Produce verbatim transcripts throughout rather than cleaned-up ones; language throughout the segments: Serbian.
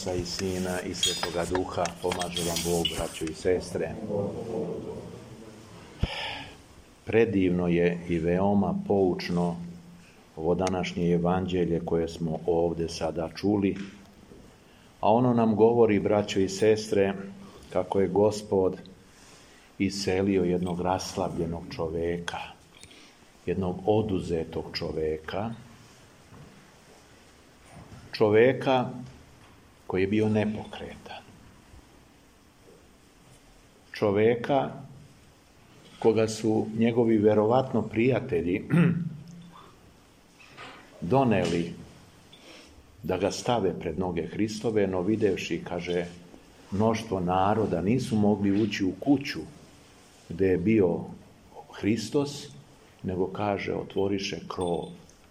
Oca i Sina i Svetoga Duha, pomaže vam Bog, braćo i sestre. Predivno je i veoma poučno ovo današnje evanđelje koje smo ovdje sada čuli, a ono nam govori, braćo i sestre, kako je Gospod iselio jednog raslabljenog čoveka, jednog oduzetog čoveka, čoveka koji je bio nepokretan, čoveka koga su njegovi verovatno prijatelji doneli da ga stave pred noge Hristove, no videvši, kaže, mnoštvo naroda nisu mogli ući u kuću gdje je bio Hristos, nego, kaže, otvoriše krov.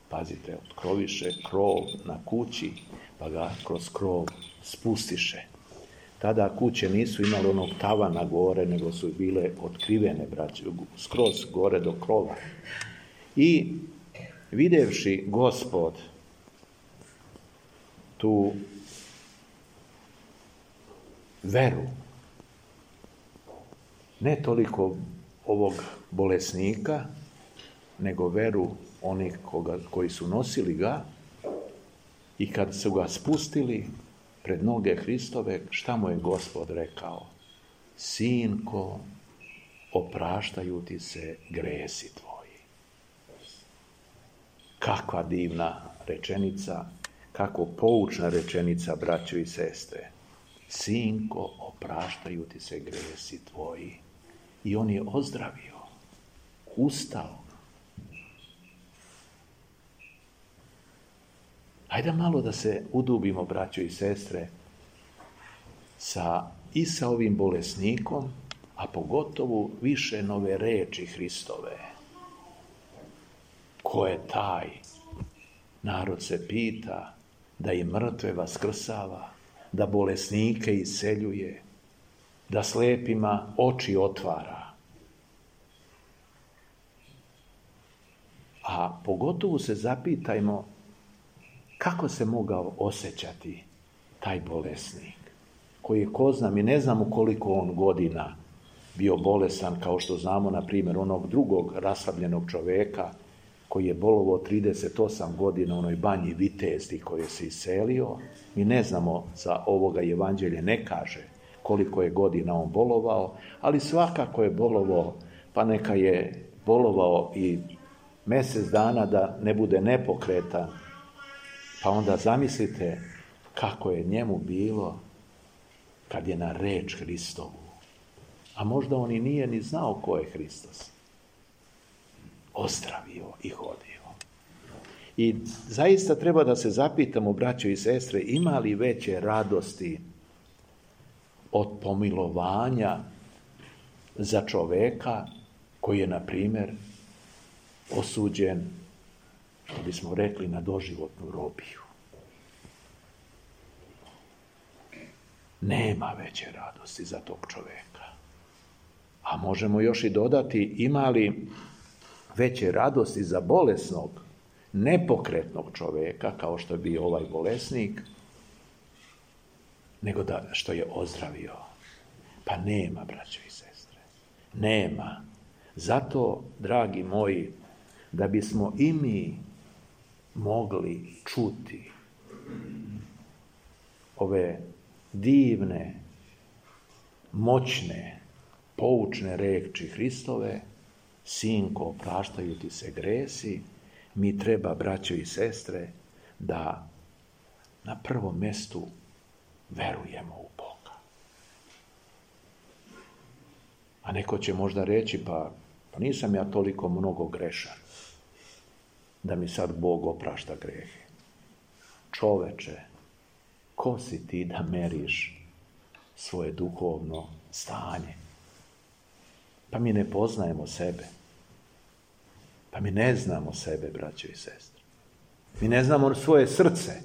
Pazite, otkroviše krov na kući, pa ga kroz krov spustiše. Tada kuće nisu imale onog tavana gore, nego su bile otkrivene, braće, skroz gore do krova. I videvši Gospod tu veru, ne toliko ovog bolesnika, nego veru onih koga, koji su nosili ga, i kad su ga spustili pred noge Hristove, šta mu je Gospod rekao? Sinko, opraštaju ti se gresi tvoji. Kakva divna rečenica, kako poučna rečenica, braćo i sestre. Sinko, opraštaju ti se gresi tvoji. I on je ozdravio, ustao. Hajde malo da se udubimo, braćo i sestre, sa, i sa ovim bolesnikom, a pogotovo više nove reči Hristove. Ko je taj? Narod se pita, da i mrtve vaskrsava, da bolesnike iseljuje, da slepima oči otvara. A pogotovo se zapitajmo kako se mogao osjećati taj bolesnik, koji je, ko zna, mi ne znamo koliko on godina bio bolesan, kao što znamo, na primjer, onog drugog raslabljenog čoveka koji je bolovao trideset osam godina u onoj banji Vitezdi koji je se iselio. Mi ne znamo, za ovoga evanđelje ne kaže koliko je godina on bolovao, ali svakako je bolovao, pa neka je bolovao i mjesec dana da ne bude nepokretan. Pa onda zamislite kako je njemu bilo kad je na reč Hristovu. A možda on i nije ni znao ko je Hristos. Ozdravio i hodio. I zaista treba da se zapitamo, braćo i sestre, ima li veće radosti od pomilovanja za čoveka koji je, na primjer, osuđen, što bismo rekli, na doživotnu robiju. Nema veće radosti za tog čoveka. A možemo još i dodati, ima li veće radosti za bolesnog, nepokretnog čoveka, kao što je bio ovaj bolesnik, nego da što je ozdravio. Pa nema, braćo i sestre. Nema. Zato, dragi moji, da bismo i mi mogli čuti ove divne, moćne, poučne reči Hristove, sinko, opraštaju ti se gresi, mi treba, braćo i sestre, da na prvom mjestu verujemo u Boga. A neko će možda reći, pa, pa nisam ja toliko mnogo grešan da mi sad Bog oprašta grehe. Čoveče, ko si ti da meriš svoje duhovno stanje? Pa mi ne poznajemo sebe. Pa mi ne znamo sebe, braćo i sestre. Mi ne znamo svoje srce.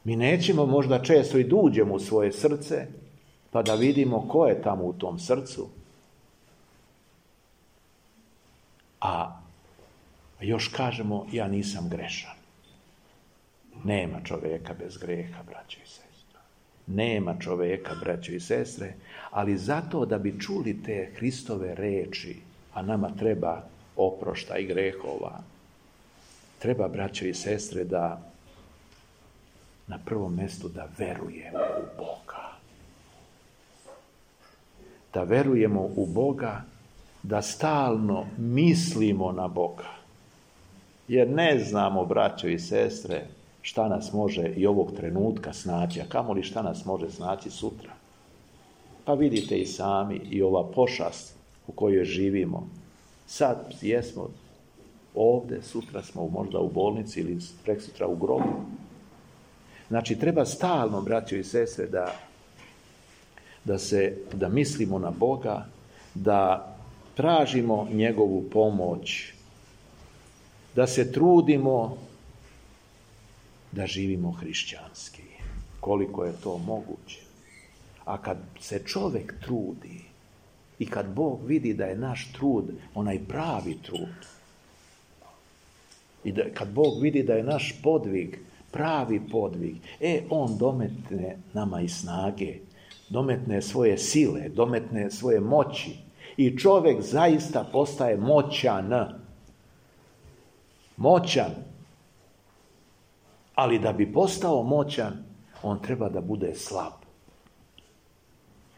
Mi nećemo možda često i duđemo u svoje srce, pa da vidimo ko je tamo u tom srcu. A još kažemo, ja nisam grešan. Nema čovjeka bez greha, braćo i sestre. Nema čovjeka, braćo i sestre, ali zato da bi čuli te Hristove reči, a nama treba oproštaj grehova, treba, braćo i sestre, da na prvom mjestu da verujemo u Boga. Da verujemo u Boga, da stalno mislimo na Boga. Jer ne znamo, braćo i sestre, šta nas može i ovog trenutka snaći, a kamoli šta nas može snaći sutra. Pa vidite i sami i ova pošast u kojoj živimo. Sad jesmo ovdje, sutra smo možda u bolnici ili preksutra u grobu. Znači, treba stalno, braćo i sestre, da, da, se, da mislimo na Boga, da tražimo njegovu pomoć, da se trudimo da živimo hrišćanski, koliko je to moguće. A kad se čovjek trudi i kad Bog vidi da je naš trud onaj pravi trud, i da, kad Bog vidi da je naš podvig pravi podvig, e, on dometne nama i snage, dometne svoje sile, dometne svoje moći i čovjek zaista postaje moćan. Moćan. Ali da bi postao moćan, on treba da bude slab.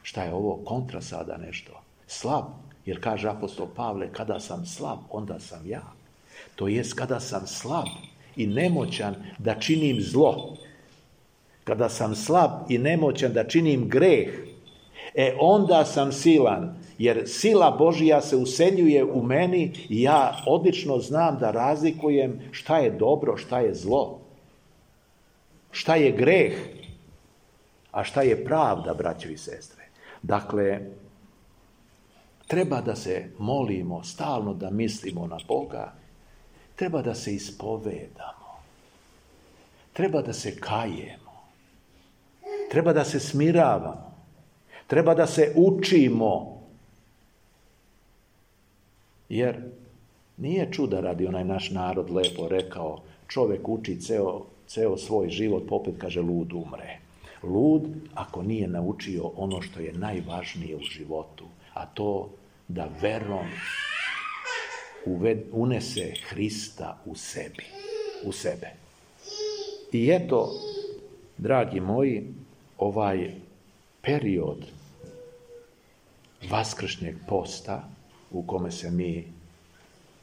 Šta je ovo? Kontra sada nešto. Slab. Jer kaže apostol Pavle, kada sam slab, onda sam ja. To jest kada sam slab i nemoćan da činim zlo. Kada sam slab i nemoćan da činim greh, e onda sam silan. Jer sila Božja se useljuje u meni i ja odlično znam da razlikujem šta je dobro, šta je zlo. Šta je greh, a šta je pravda, braćo i sestre. Dakle, treba da se molimo, stalno da mislimo na Boga, treba da se ispovedamo, treba da se kajemo, treba da se smiravamo, treba da se učimo, jer nije čuda radi onaj naš narod lepo rekao, čovjek uči ceo, ceo svoj život, popet kaže lud umre. Lud ako nije naučio ono što je najvažnije u životu, a to da verom unese Hrista u sebi, u sebe. I eto, dragi moji, ovaj period vaskršnjeg posta u kome se mi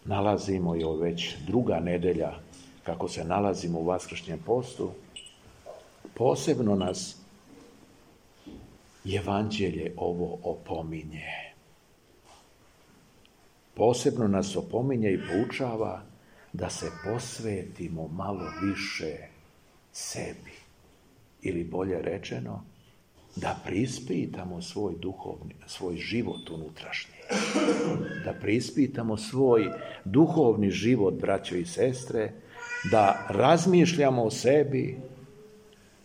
nalazimo, i ovo već druga nedelja kako se nalazimo u vaskršnjem postu, posebno nas Evanđelje ovo opominje. Posebno nas opominje i poučava da se posvetimo malo više sebi. Ili bolje rečeno, da preispitamo svoj duhovni, svoj život unutrašnji. Da preispitamo svoj duhovni život, braćo i sestre, da razmišljamo o sebi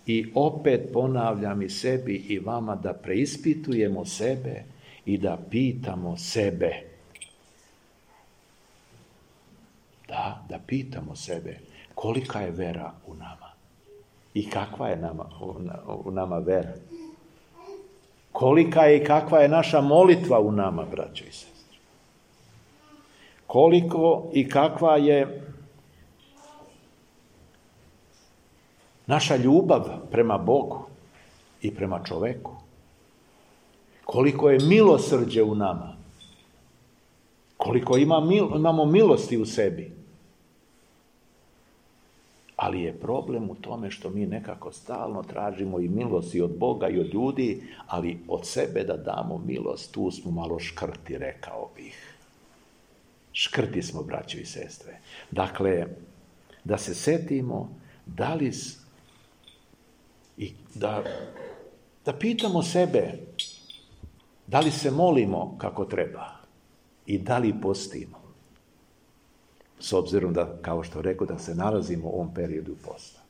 i opet ponavljam i sebi i vama da preispitujemo sebe i da pitamo sebe. Da, da pitamo sebe kolika je vera u nama i kakva je nama, u nama vera. Kolika je i kakva je naša molitva u nama, braćo i sestre. Koliko i kakva je naša ljubav prema Bogu i prema čoveku. Koliko je milosrđe u nama. Koliko ima, imamo milosti u sebi. Ali je problem u tome što mi nekako stalno tražimo i milosti od Boga i od ljudi, ali od sebe da damo milost, tu smo malo škrti, rekao bih. Škrti smo, braćo i sestre. Dakle, da se setimo da li i da, da pitamo sebe da li se molimo kako treba i da li postimo. S obzirom da, kao što rekao, da se nalazimo u ovom periodu posta.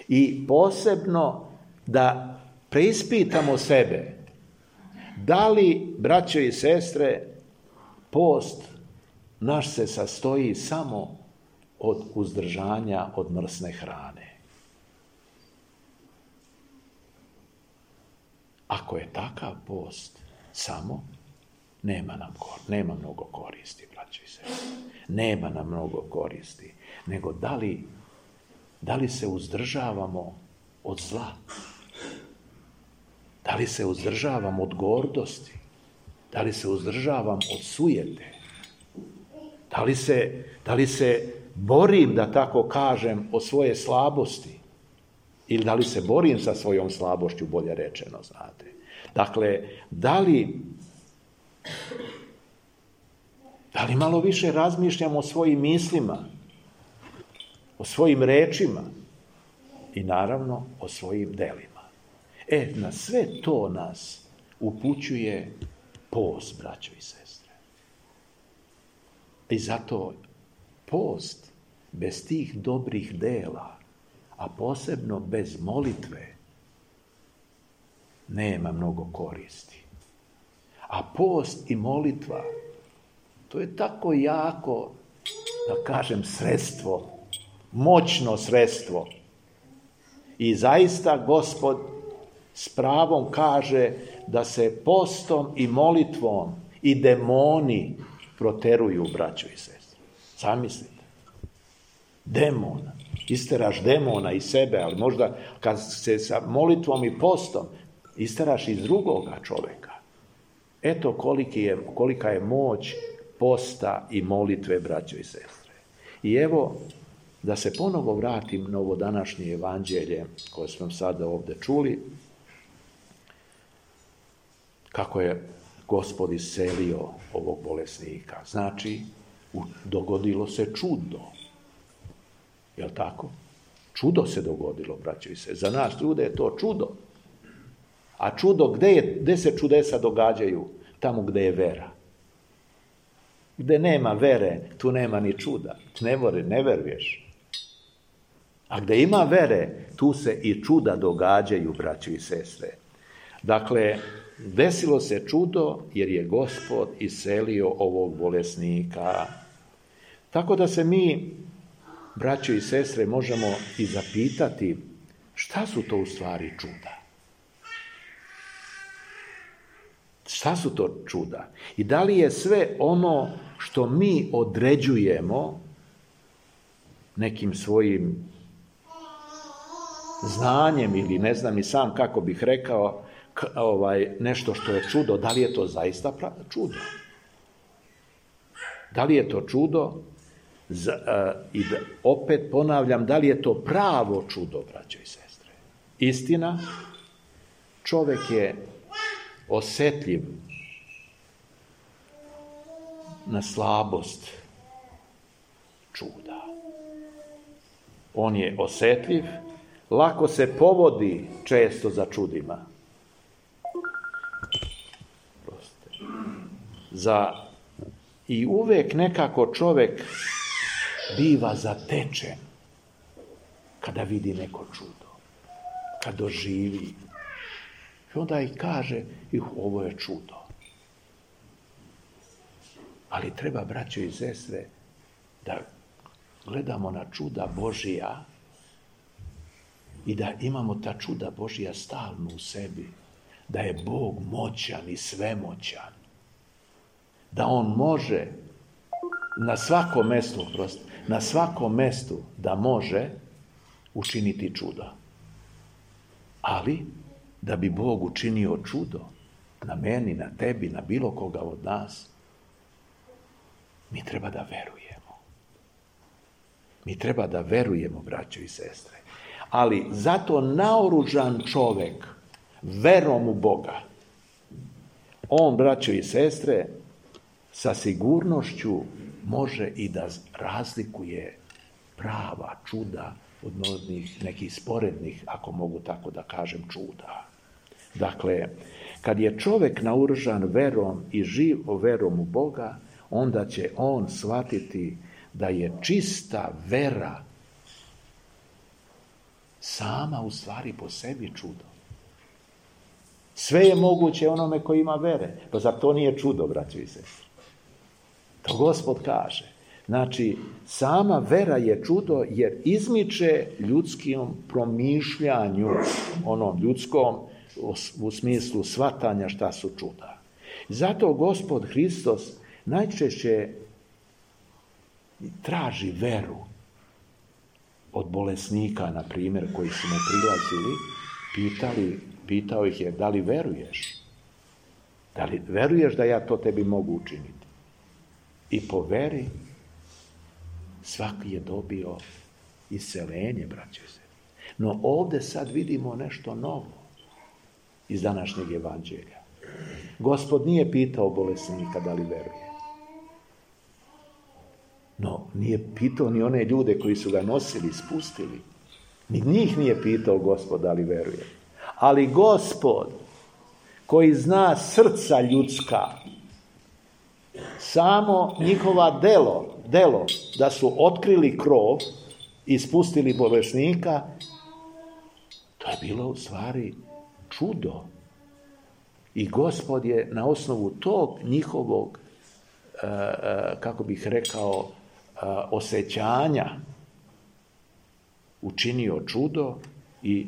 I posebno da preispitamo sebe. Da li, braćo i sestre, post naš se sastoji samo od uzdržanja od mrsne hrane. ako je takav post samo, nema nam nema mnogo koristi, braćo i sestre. Nema nam mnogo koristi. Nego da li, da li se uzdržavamo od zla? Da li se uzdržavam od gordosti? Da li se uzdržavam od sujete? Da li se, da li se borim, da tako kažem, o svoje slabosti? Ili da li se borim sa svojom slabošću, bolje rečeno, znate? Dakle, da li, da li malo više razmišljam o svojim mislima, o svojim rečima i naravno o svojim delima? E, na sve to nas upućuje post, braćo i sestre. I zato post bez tih dobrih dela, a posebno bez molitve, nema mnogo koristi. A post i molitva, to je tako jako, da kažem, sredstvo, moćno sredstvo. I zaista Gospod s pravom kaže da se postom i molitvom i demoni proteruju, braćo i sestre. Zamislite. Demona. Isteraš demona iz sebe, ali možda kad se sa molitvom i postom isteraš iz drugoga čovjeka. Eto koliki je, kolika je moć posta i molitve, braćo i sestre. I evo, da se ponovo vratim na ovo današnje evanđelje koje smo sada ovdje čuli, kako je Gospod iscelio ovog bolesnika. Znači, dogodilo se čudo. Jel' tako? Čudo se dogodilo, braćo i sestre. Za nas ljude je to čudo. A čudo, gde, je, gde se čudesa događaju? Tamo gde je vera. Gde nema vere, tu nema ni čuda. Ne, vore, ne veruješ. A gde ima vere, tu se i čuda događaju, braćo i sestre. Dakle, desilo se čudo jer je Gospod iscelio ovog bolesnika. Tako da se mi, braćo i sestre, možemo i zapitati šta su to u stvari čuda. Šta su to čuda? I da li je sve ono što mi određujemo nekim svojim znanjem ili ne znam i sam kako bih rekao, ovaj, nešto što je čudo, da li je to zaista čudo? Da li je to čudo? Za, uh, I da, opet ponavljam, da li je to pravo čudo, braćo i sestre? Istina, čovjek je osjetljiv na slabost čuda. On je osjetljiv, lako se povodi često za čudima. Proste. Za, i uvijek nekako čovjek biva zatečen kada vidi neko čudo, kad doživi. I onda i kaže, ih, ovo je čudo. Ali treba, braćo i sestre, da gledamo na čuda Božija i da imamo ta čuda Božija stalno u sebi. Da je Bog moćan i svemoćan. Da On može na svakom mestu, prosto, na svakom mestu da može učiniti čudo. Ali, da bi Bog učinio čudo na meni, na tebi, na bilo koga od nas, mi treba da verujemo. Mi treba da verujemo, braćo i sestre. Ali zato naoružan čovjek verom u Boga, on, braćo i sestre, sa sigurnošću može i da razlikuje prava čuda od mnogih nekih sporednih, ako mogu tako da kažem, čuda. Dakle, kad je čovjek naoružan verom i živ verom u Boga, onda će on shvatiti da je čista vera sama u stvari po sebi čudo. Sve je moguće onome koji ima vere. Pa zar to nije čudo, braćo i sestre? To Gospod kaže. Znači, sama vera je čudo jer izmiče ljudskim promišljanju, onom ljudskom, u smislu shvatanja šta su čuda. Zato Gospod Hristos najčešće traži veru od bolesnika, na primjer, koji su mu prilazili, pitali, pitao ih je, da li veruješ? Da li veruješ da ja to tebi mogu učiniti? I po veri svaki je dobio isceljenje, braće se. No ovdje sad vidimo nešto novo iz današnjeg evanđelja. Gospod nije pitao bolesnika da li veruje. No, nije pitao ni one ljude koji su ga nosili, spustili. Ni njih nije pitao Gospod da li veruje. Ali Gospod, koji zna srca ljudska, samo njihova delo, delo da su otkrili krov i spustili bolesnika, to je bilo u stvari čudo. I Gospod je na osnovu tog njihovog, kako bih rekao, osjećanja učinio čudo i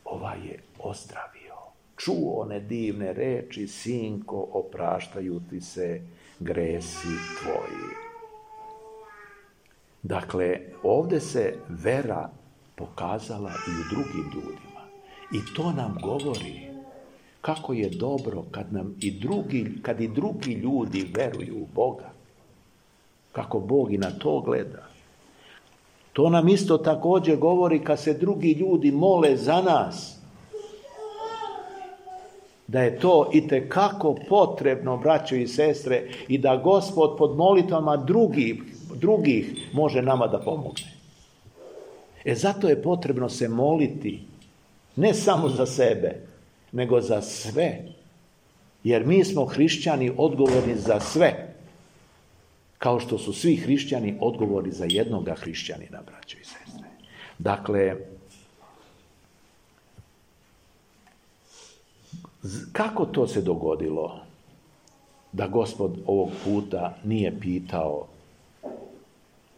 ovaj je ozdravio. Čuo one divne reči, sinko, opraštaju ti se gresi tvoji. Dakle, ovdje se vera pokazala i u drugim ljudima. I to nam govori kako je dobro kad nam i drugi, kad i drugi ljudi veruju u Boga. Kako Bog i na to gleda. To nam isto također govori kad se drugi ljudi mole za nas. Da je to itekako potrebno, braćo i sestre, i da Gospod pod molitvama drugih, drugih može nama da pomogne. E zato je potrebno se moliti, ne samo za sebe, nego za sve. Jer mi smo hrišćani odgovorni za sve. Kao što su svi hrišćani odgovorni za jednoga hrišćanina, braćo i sestre. Dakle, kako to se dogodilo da Gospod ovog puta nije pitao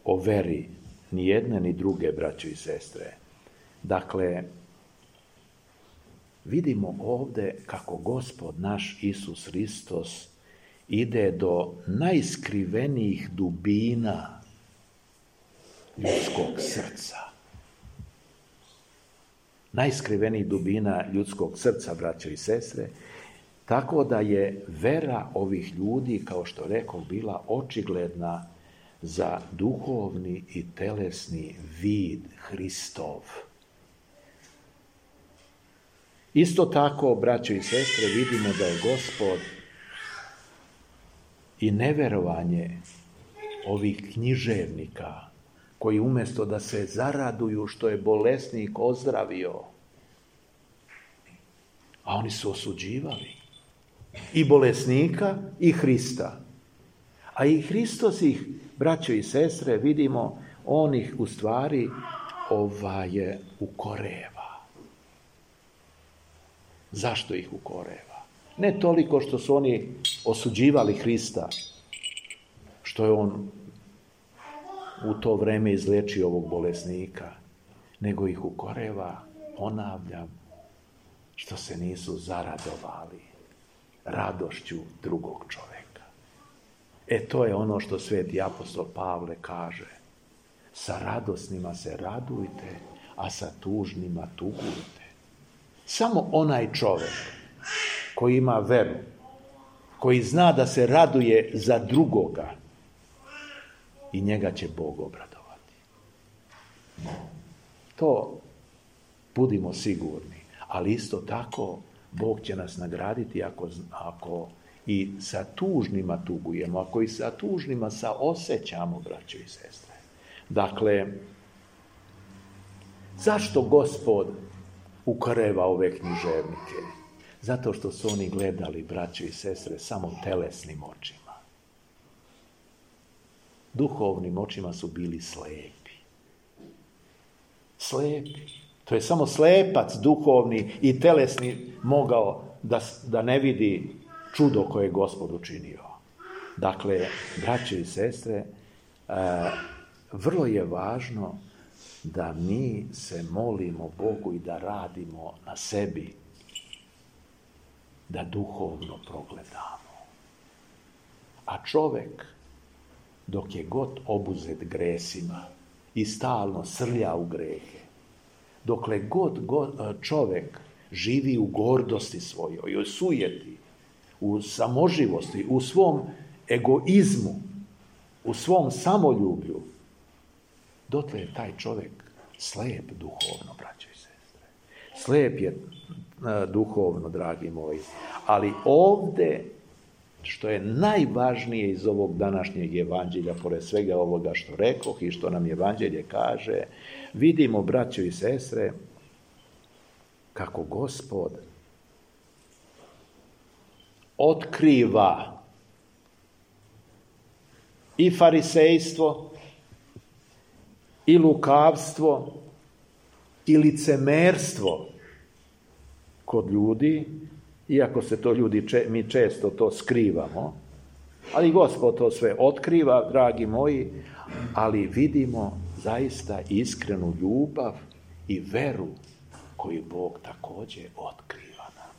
o veri ni jedne ni druge, braćo i sestre? Dakle, vidimo ovdje kako Gospod naš Isus Hristos ide do najskrivenijih dubina ljudskog srca. Najskrivenijih dubina ljudskog srca, braćo i sestre, tako da je vera ovih ljudi, kao što rekao, bila očigledna za duhovni i telesni vid Hristov. Isto tako, braćo i sestre, vidimo da je Gospod i neverovanje ovih književnika koji umjesto da se zaraduju što je bolesnik ozdravio, a oni su osuđivali i bolesnika i Hrista. A i Hristos ih, braćo i sestre, vidimo, on ih u stvari ovaj, ukoreva. Zašto ih ukoreva? Ne toliko što su oni osuđivali Hrista, što je on u to vrijeme izliječio ovog bolesnika, nego ih ukoreva, ponavljam, što se nisu zaradovali radošću drugog čovjeka. E to je ono što sveti apostol Pavle kaže. Sa radosnima se radujte, a sa tužnima tugujte. Samo onaj čovjek koji ima veru, koji zna da se raduje za drugoga, i njega će Bog obradovati. To budimo sigurni. Ali isto tako Bog će nas nagraditi ako, ako i sa tužnima tugujemo, ako i sa tužnima saosjećamo, braćo i sestre. Dakle, zašto Gospod ukoreva ove književnike? Zato što su oni gledali, braćo i sestre, samo telesnim očima. Duhovnim očima su bili slepi. Slepi. To je samo slepac duhovni i telesni mogao da, da ne vidi čudo koje je Gospod učinio. Dakle, braće i sestre, e, vrlo je važno da mi se molimo Bogu i da radimo na sebi, da duhovno progledamo. A čovek, dok je god obuzet gresima i stalno srlja u grehe, dokle god, god čovek živi u gordosti svojoj, u sujeti, u samoživosti, u svom egoizmu, u svom samoljublju, dotle je taj čovek slep duhovno, braćo i sestre. Slep je duhovno, dragi moji. Ali ovde, što je najvažnije iz ovog današnjeg evanđelja, pored svega ovoga što rekoh i što nam evanđelje kaže, vidimo, braćo i sestre, kako Gospod otkriva i farisejstvo, i lukavstvo, i licemerstvo kod ljudi, iako se to ljudi, mi često to skrivamo, ali Gospod to sve otkriva, dragi moji, ali vidimo zaista iskrenu ljubav i veru koju Bog također otkriva nam.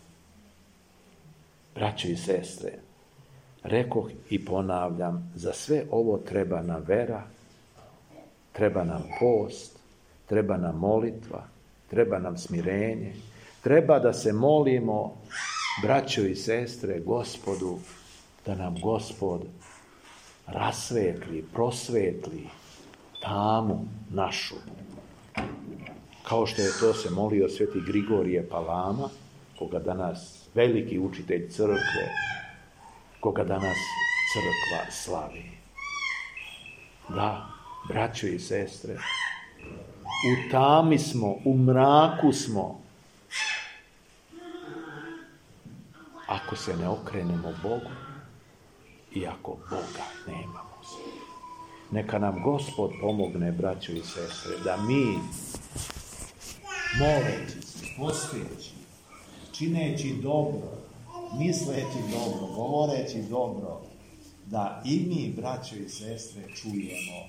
Braćo i sestre, rekoh i ponavljam, za sve ovo treba nam vera, treba nam post, treba nam molitva, treba nam smirenje, treba da se molimo, braćo i sestre, Gospodu, da nam Gospod rasvetli, prosvetli tamu našu. Kao što je to se molio sveti Grigorije Palama, koga danas veliki učitelj crkve, koga danas crkva slavi. Da, braćo i sestre, u tami smo, u mraku smo, ako se ne okrenemo Bogu i ako Boga nemamo. Neka nam Gospod pomogne, braćo i sestre, da mi, moleći se, posteći, čineći dobro, misleći dobro, govoreći dobro, da i mi, braćo i sestre, čujemo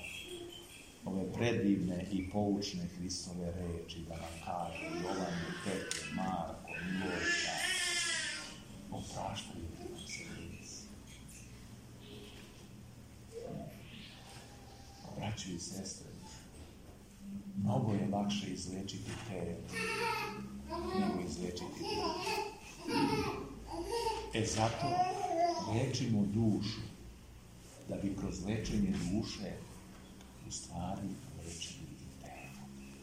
ove predivne i poučne Hristove reči, da nam kaže Jovan, Petar, Marko, Milojka, opraštaju nam se grijesi. Braćo i sestre, mnogo je lakše izlečiti telo nego izlečiti dušu. E zato lečimo dušu, da bi kroz lečenje duše u stvari lečili